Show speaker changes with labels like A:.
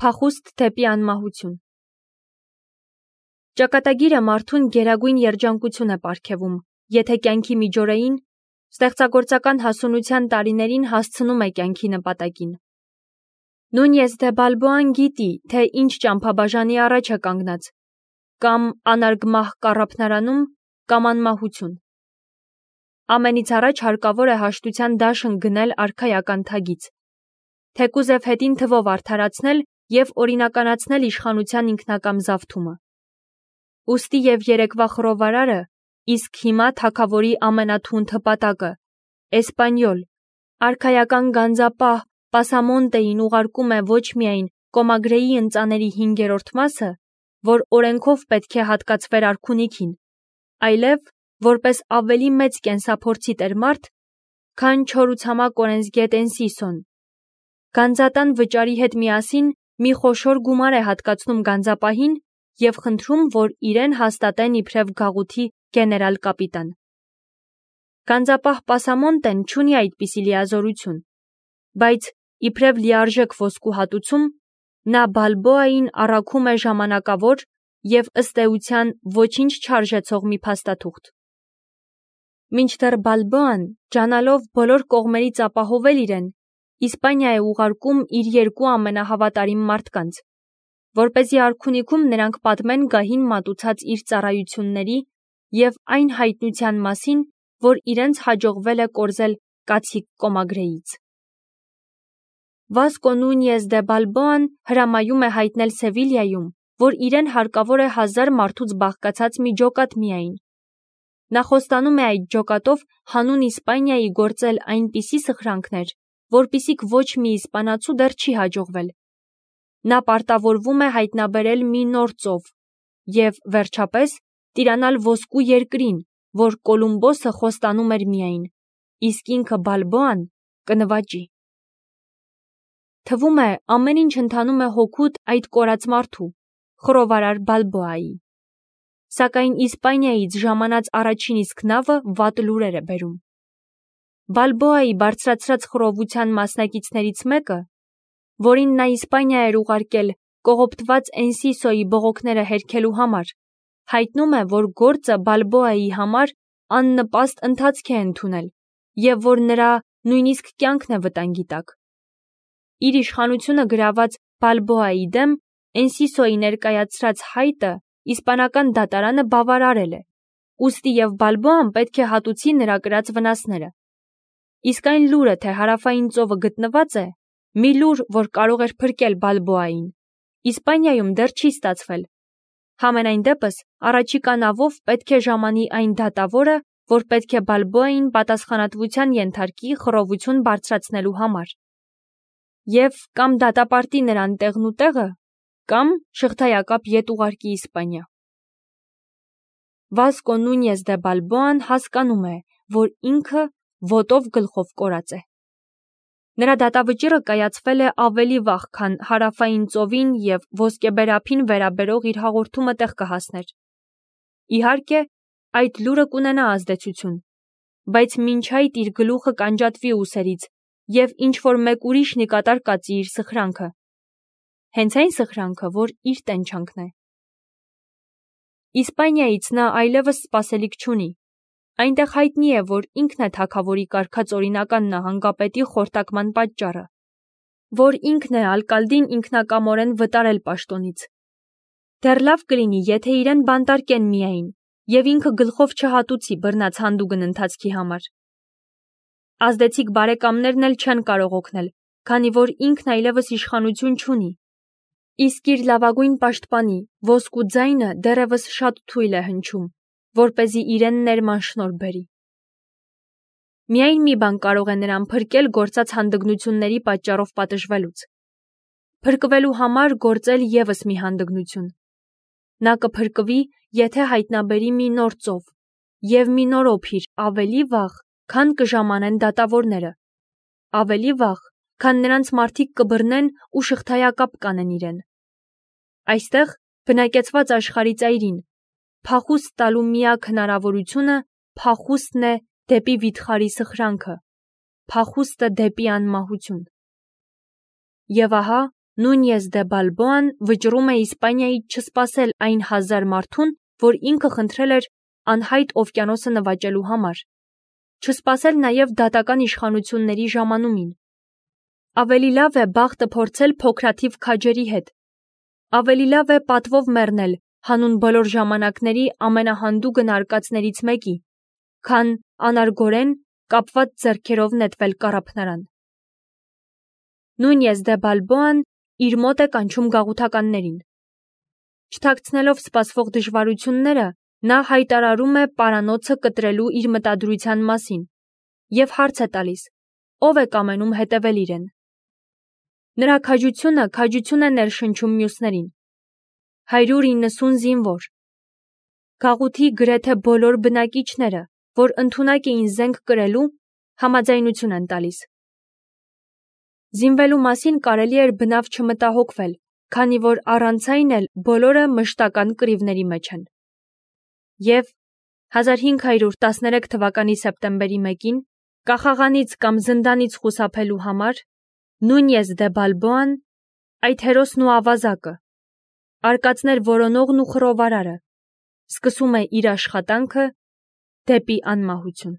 A: Փախուստ դեպի անմահություն։ Ճակատագիրը մարդուն գերագույն երջանկություն է պարգևում, եթե կյանքի միջօրեին, ստեղծագործական հասունության տարիներին հասցնում է կյանքի նպատակին։ Նունյես դե Բալբոան գիտի, թե ինչ ճամփաբաժանի առաջ է կանգնած, կամ անարգմահ կառափնարանում, կամ անմահություն։ Ամենից առաջ հարկավոր է հաշտության դաշն գնել արքայական թագից, թեկուզև հետին թվով արդարացնել և օրինականացնել իշխանության ինքնակամ զավթումը։ Ուստի և երեկվա խռովարարը, իսկ հիմա թագավորի ամենաթունդ հպատակը, էսպանյոլ, արքայական գանձապահ Պասամոնտեին ուղարկում է ոչ միայն Կոմագրեի ընծաների 5-րդ մասը, որ օրենքով պետք է հատկացվեր արքունիքին, այլև որպես ավելի մեծ կենսափորձի տերմարդ, քան չորուցամակ օրենսգետ Էնսիսոն։ Գանձատան վճարի հետ միասին մի խոշոր գումար է հատկացնում գանձապահին և խնդրում, որ իրեն հաստատեն իբրև գաղութի գեներալ կապիտան։ Գանձապահ Պասամոնտեն չունի այդպիսի լիազորություն, բայց իբրև լիարժեք ոսկու հատուցում, նա Բալբոային առաքում է ժամանակավոր և ըստ էության ոչինչ չարժեցող մի փաստաթուղթ։ Մինչդեռ Բալբոան, ջանալով բոլոր կողմերից ապահովել իրեն, Իսպանիա է ուղարկում իր 2 ամենահավատարիմ մարդկանց, որպեսզի արքունիքում նրանք պատմեն գահին մատուցած իր ծառայությունների և այն հայտնության մասին, որ իրենց հաջողվել է կորզել կացիկ Կոմագրեից։ Վասկո Նունյես դե Բալբոան հրամայում է հայտնել Սևիլիայում, որ իրեն հարկավոր է 1000 մարդուց բաղկացած մի ջոկատ միայն։ Նա խոստանում է այդ ջոկատով հանուն Իսպանիայի գործել այնպիսի սխրանքներ, որպիսիք ոչ մի իսպանացու դեռ չի հաջողվել։ Նա պարտավորվում է հայտնաբերել մի նոր ծով և, վերջապես, տիրանալ ոսկու երկրին, որ Կոլումբոսը խոստանում էր միայն, իսկ ինքը Բալբոան կնվաճի։ Թվում է, ամեն ինչ ընթանում է հօգուտ այդ կորած մարդու, խռովարար Բալբոայի։ Սակայն Իսպանիայից ժամանած առաջին իսկ նավը վատ լուրեր է բերում։ Բալբոայի բարձրացրած խռովության մասնակիցներից մեկը, որին նա Իսպանիա էր ուղարկել կողոպտված Էնսիսոյի բողոքները հերքելու համար, հայտնում է, որ գործը Բալբոայի համար աննպաստ ընթացք է ընդունել և որ նրա նույնիսկ կյանքն է վտանգի տակ։ Իր իշխանությունը գրաված Բալբոայի դեմ Էնսիսոյի ներկայացրած հայտը իսպանական դատարանը բավարարել է, ուստի և Բալբոան պետք է հատուցի նրա կրած վնասները։ Իսկ այն լուրը, թե հարավային ծովը գտնված է, մի լուր, որ կարող էր փրկել Բալբոային, Իսպանիայում դեռ չի ստացվել։ Համենայն դեպս, առաջիկա նավով պետք է ժամանի այն դատավորը, որ պետք է Բալբոային պատասխանատվության ենթարկի խռովություն բարձրացնելու համար։ Եվ կամ դատապարտի նրան տեղնուտեղը, կամ շղթայակապ ետ ուղարկի Իսպանիա։ Վասկո Նունյես դե Բալբոան հասկանում է, որ ինքը ոտով գլխով կորած է։ Նրա դատավճիռը կայացվել է ավելի վաղ, քան հարավային ծովին և ոսկեբեր ափին վերաբերող իր հաղորդումը տեղ կհասներ։ Իհարկե, այդ լուրը կունենա ազդեցություն, բայց մինչ այդ իր գլուխը կանջատվի ուսերից և ինչ-որ մեկ ուրիշն ի կատար կածի իր սխրանքը։ Հենց այն սխրանքը, որ իր տենչանքն է։ Իսպանիայից նա այլևս սպասելիք չունի։ Այնտեղ հայտնի է, որ ինքն է թագավորի կարգած օրինական նահանգապետի խորտակման պատճառը, որ ինքն է ալկալդին ինքնակամորեն վտարել պաշտոնից։ Դեռ լավ կլինի, եթե իրեն բանտարկեն միայն, և ինքը գլխով չհատուցի բռնած հանդուգն ընթացքի համար։ Ազդեցիկ բարեկամներն էլ չեն կարող օգնել, քանի որ ինքն այլևս իշխանություն չունի, իսկ իր լավագույն պաշտպանի ոսկու ձայնը դեռևս շատ թույլ է հնչում, որպեսզի իրեն ներման շնորհ բերի։ Միայն մի բան կարող է նրան փրկել գործած հանդգնությունների պատճառով պատժվելուց։ Փրկվելու համար գործել ևս մի հանդգնություն։ Նա կփրկվի, եթե հայտնաբերի մի նոր ծով և մի նոր օփիր ավելի վաղ, քան կժամանեն դատավորները, ավելի վաղ, քան նրանց մարդիկ կբռնեն ու շղթայակապ կանեն իրեն։ Այստեղ, բնակեցված աշխարհի ծայրին, փախուստ տալու միակ հնարավորությունը փախուստն է դեպի վիթխարի սխրանքը, փախուստը դեպի անմահություն։ Եվ ահա, Նունյես դե Բալբոան վճռում է Իսպանիայից չսպասել այն 1000 մարդուն, որ ինքը խնդրել էր անհայտ օվկիանոսը նվաճելու համար, չսպասել նաև դատական իշխանությունների ժամանումին։ Ավելի լավ է բախտը փորձել փոքրաթիվ քաջերի հետ։ Ավելի լավ է պատվով մեռնել հանուն բոլոր ժամանակների ամենահանդուգն արկածներից մեկի, քան անարգորեն կապված ձեռքերով նետվել կառափնարան։ Նունյես դե Բալբոան իր մոտ է կանչում գաղութականներին։ Չթաքցնելով սպասվող դժվարությունները, նա հայտարարում է պարանոցը կտրելու իր մտադրության մասին և հարց է տալիս, ով է կամենում հետևել իրեն։ Նրա քաջությունը քաջություն է ներշնչում մյուսներին։ 190 զինվոր։ Գաղութի գրեթե բոլոր բնակիչները, որ ընդունակ էին զենք կրելու, համաձայնություն են տալիս։ Զինվելու մասին կարելի էր բնավ չմտահոգվել, քանի որ առանց այն էլ բոլորը մշտական կռիվների մեջ են։ Եվ 1513 թվականի սեպտեմբերի 1-ին կախաղանից կամ զնդանից խուսափելու համար Նունյես դե Բալբոան, այդ հերոսն ու ավազակը, արկածներ որոնողն ու խռովարարը, սկսում է իր աշխատանքը դեպի անմահություն։